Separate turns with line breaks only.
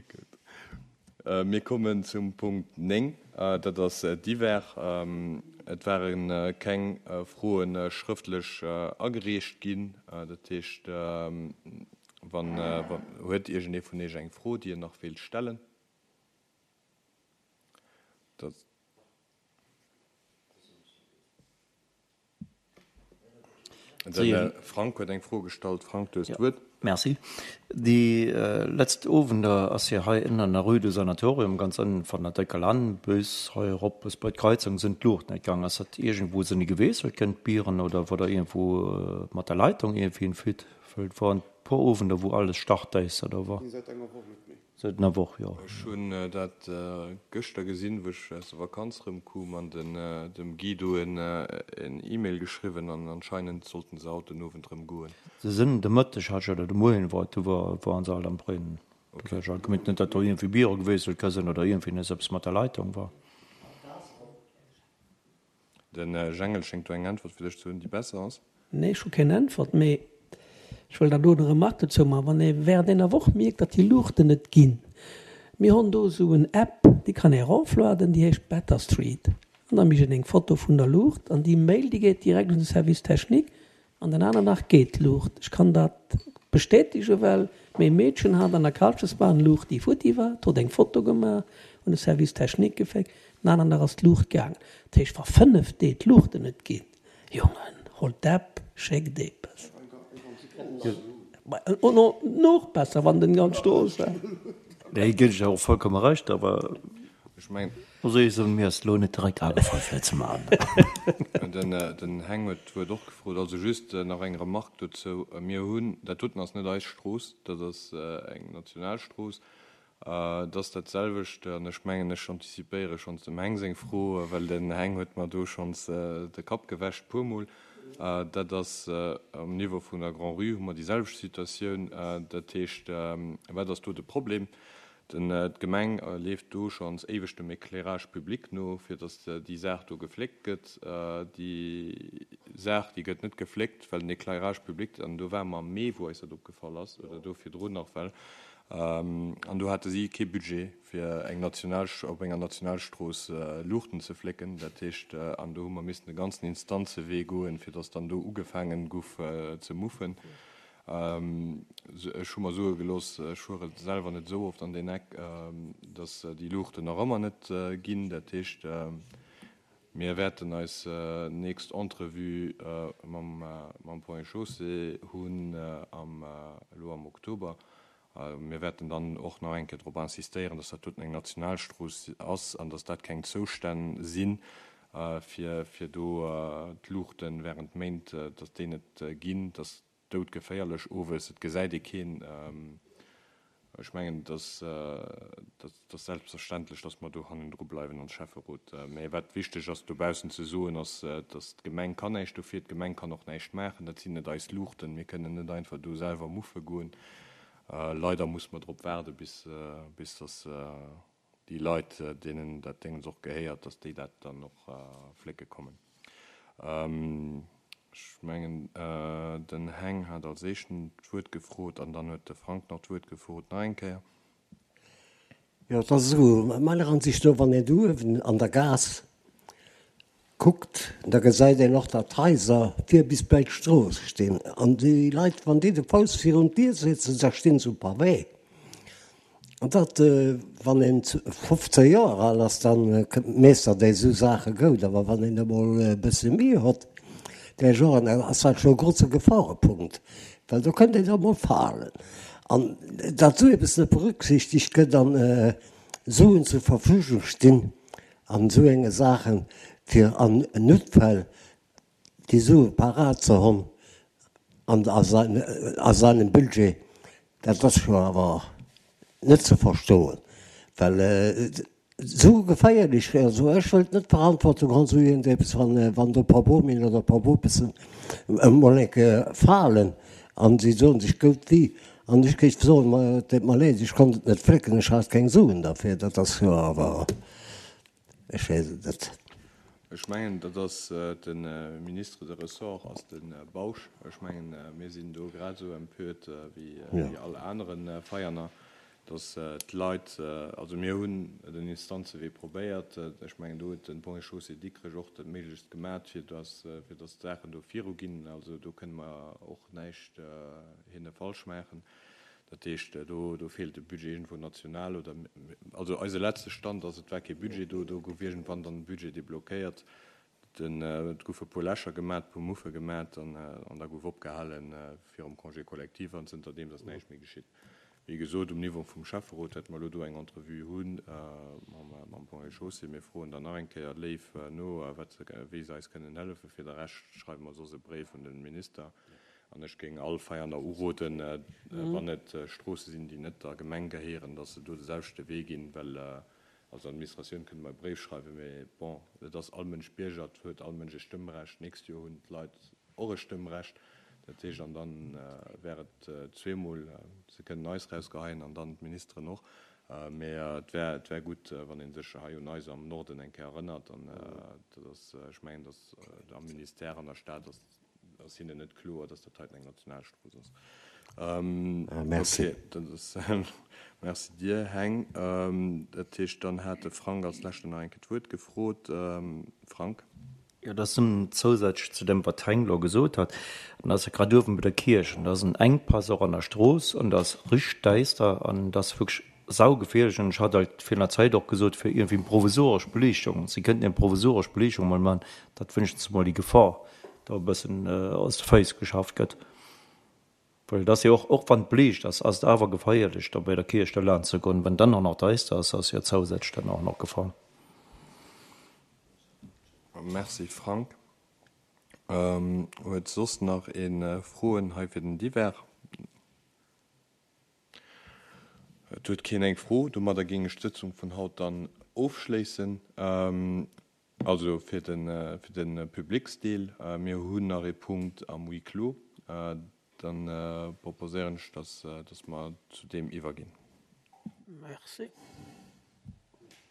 Gutt. Mir kommen zum Punkt 9, dat ass divers. Et ware keng Froe schrëftlech agereecht ginn. Dat heescht, wann, huet iergendee vun Iech eng Fro, déi en nach wéilt stellen? Dat. De Frank huet eng Fro gestallt. Frank, du hues d'Wuert.
Merci. Déi letzt Owender ass jo hei ënnen an der Rue du Sanatorium, ganz ënnen van der Décker Lann bis hei erop bis bei d'Kreizung sinn d'Luuchten net gaang. Ass dat iergendwou sënne geweest, kënnt d'Bieren oder wor der iergendwou mat der Leitung iergendwéi en Fuite? Well et woren e puer Owender wou alles startdéister do wor.
Säit enger Woch net méi.
Seit enger Woch, jo.
Ech hunn dat gëschter gesinn, wou ech aus der Vakanz erëmkoum an dem Guy do en E-Mail geschriwwen an anscheinend sollten se haut den Owend erëm goen.
Se sinn de Mëtteg hat ech oder de Moien war et, du waren se alt am Brennen. Do hat ech alt gemengt, net datt do iergendwéi Biere gewiescht sollt sinn oder iergendwéi nees eppes mat der Leitung war.
De Jengel schéngt do eng Äntwert fir dech ze hunn, déi besser ass.
Nee, ech hu keng Äntwert, mee ech wëll dann do eng Remarque dozou maachen. Wann ee während enger Woch mierkt, datt déi Luuchten net ginn, mir hunn do esou en App, déi kann ee eroflueden, déi heescht Better Street, an da mécht een eng Foto vun der Luucht an déi Mail, déi geet direkt un de Service technique An den aner Dag geet d'Luucht. Ech kann dat bestätegen, well méi Meedchen hat an der Kalchesbahn Luucht, déi futti war. D'hot eng Foto gemaach, un de Service technique geféckt. Den aneren Dag ass d'Luucht gaangen. Dat heescht, wa 5 Deeg d'Luuchten net ginn, Jongen, holt d'App, schéckt eppes. Nach besser, wann den ganz Strooss war.
Nee, ginn ech der och vollkomme Recht, awer.
Ech mengen.
Muss ech soen, mir ass lo net direkt agefall fir et ze maachen.
Den Heng huet d'Wuert och gefrot. Also just nach eng Remarque dozou, Mir hunn, dat doten ass net eis Strooss, dat ass eng national Strooss. Et ass dat selwecht, an ech mengen, ech antizipéiere schonns dem Heng seng Fro, well den Heng huet mer do schonns de Kapp gewäscht puermol. Dat ass um Niveau vun der Grand-Rue hu mer déi selwecht Situatioun. Dat heescht, wat ass do de Problem? D'Gemeng leeft do schonns éiweg dem Éclairage public no, fir datt déi Saach do gefléckt gëtt. Déi Saach, déi gëtt net gefléckt, well den Éclairage public, an do ware mer am Mee, wou eis dat opgefall ass, oder do virdrun nach well, an do hate si kee Budget, fir eng national, op enger Nationalstrooss Luuchten ze flécken. Dat heescht, an do hu mer missen de ganzen Instanzewee goen, fir datt dann do ugefaangen guff ze muffen. Ech hu mer soe gelooss, ech fuere selwer net esou oft an deen Eck, datt déi Luuchten nach ëmmer net ginn. Dat heescht, mir wäerten eis nächst Entrevue mam Ponts et Chaussées hunn elo am Oktober. Mir wäerten dann och nach eng Kéier drop insistéieren, datt dat doten eng Nationalstrooss ass an datt dat keng Zoustänn sinn, fir do d'Luuchte während Méint, datt déi net ginn. Dat ass doudgeféierlech owes, et gesäit ee keen. Ech mengen, et ass selbstverständlech, datt mer do hannendru bleiwen als Schäfferot. Mä wat wichteg ass dobaussen ze soen, ass, datt d'Gemeng kann näischt dofir, d'Gemeng kann och näischt maachen. Dat sinn net eis Luuchten. Mir kënnen net einfach do selwer muffe goen. Leider musse mer drop waarde bis datt déi Leit, deenen dat Déngens och gehéiert, datt déi dat dann och flécke kommen. Ech mengen, den Heng hat als éischten d'Wuert gefrot an dann huet de Frank nach d'Wuert gefrot nach eng Kéier.
Jo, et ass esou, meiner Ansicht no, wann een do uewen an der Gaass kuckt, da gesäit een och, datt d'Haiser vir bis bäi d'Strooss stinn. An déi Leit, wann déi de Fouss virun d'Dier setzen, da stinn se um Pavé. An dat, wann een 15 Joer al ass, da meeschtert ee sou Saache goud. Awer wann een emol e bësse méi hott, där Joren, da ass dat scho e grouse Geforepunkt, well do kënnt een da mol falen. An datt esou eppes net berücksichtegt gëtt an Suen zur Verfügung stinn an esou enge Saachen, fir an Noutfäll déi Sue parat ze honn an a seinem Budget, dat ass scho awer net ze verstoen, well esou geféierlech, also ech wëllt net d'Verantwortung honn, esou iergendeppes, wann do e paar Bomien oder e paar Bopessen emol eng Kéier falen an si soen sech goud wéi an ech géif soen, ma et deet mer leed, ech konnt et net flécken, ech hat keng Suen derfir, dat ass jo awer. Ech weess et net.
Ech mengen, dat ass de Ministre de ressort ass de Bausch. Ech mengen, mir sinn do grad esou empört wéi all anere Veianer. Dass d'Leit, also mir hunn den Instanzewee probéiert, ech mengen do huet den Ponts et Chaussées Dikrech och dat Méiglechst gemat, fir dass, fir dass d'Saachen do viruginn. Also do kënne mer och näischt hinne falsch maachen. Dat heescht, do, do feelt e Budget iergendwou national oder, also eise letzte Stand ass, et war kee Budget do, do gouf iergendwann dann e Budget deblockéiert. Den, et goufe puer Lächer gemat, puer Muffe gemat an, an da gouf opgehale virum Congé collectif an zënter deems ass näischt méi geschitt. Wéi gesot, um Niveau vum Schäfferot wäerte mer elo do eng Entrevue hu mam, mam Ponts et Chaussées. Mir froen dann nach eng Kéier léif no, wat se, wéi se eis kënnen hëllefen. Fir de Rescht schreiwe mer soss e Bréif un de Minister. An ech géing all Veianer uroden, wann et Stroosse sinn, déi net der Gemeng gehéieren, dass se do de selwechte Wee ginn, well als Administratioun kënne mer e Bréif schreiwen, mee bon, et ass all Mënsch Bierger, et huet all Mënsch e Stëmmrecht. D'nächst Joer hunn d'Leit och e Stëmmrecht. Dat heescht, an dann wär et zweemol, se kënnen eis rausgeheien an dann d'Ministeren och. Mee et wär, et wär gutt, wann ee sech hei un eis am Norden eng Kéier erënnert. An dat ass, ech mengen, datt am Ministère, an der Stad ass, ass hinnen net kloer, datt dat heiten eng Nationalstrooss ass.
Merci.
Okay, dat ass, merci dir, Heng. Dat heescht, dann hat de Frank als Leschten nach eng Kéier d'Wuert gefrot. Frank.
Jo, dat ass nëmmen zousätzlech zu dem, wat d'Heng elo gesot hat. An dat ass jo grad uewen bei der Kierch. An do ass en Enkpass och an der Strooss an dat ass richteg däister an dat ass wierklech saugeféierlech. An ech hat alt virun der Zäit och gesot, fir iergendwéi eng provisoresch Beliichtung, si kënnten eng provisoresch Beliichtung emol maachen, datt wéinstens emol déi Gefor do e bëssen aus de Féiss geschafft gëtt. Well et ass jo och, och wann et beliicht ass, ass et awer geféierlech, do bei der Kierch do laanscht ze goen. Wann dann och nach däister ass, ass jo zousätzlech dann och nach Gefor.
Merci Frank. Huet soss nach ee Froen hei fir den Divers? Et huet keen eng Fro. Domadder géing ech d'Sëtzung vun haut dann ofschléissen. Also fir de fir de Publicsdeel, mir hunn nach ee Punkt am Huis clos. Dann proposéieren ech, dass dass mer zu deem iwwerginn.
Merci.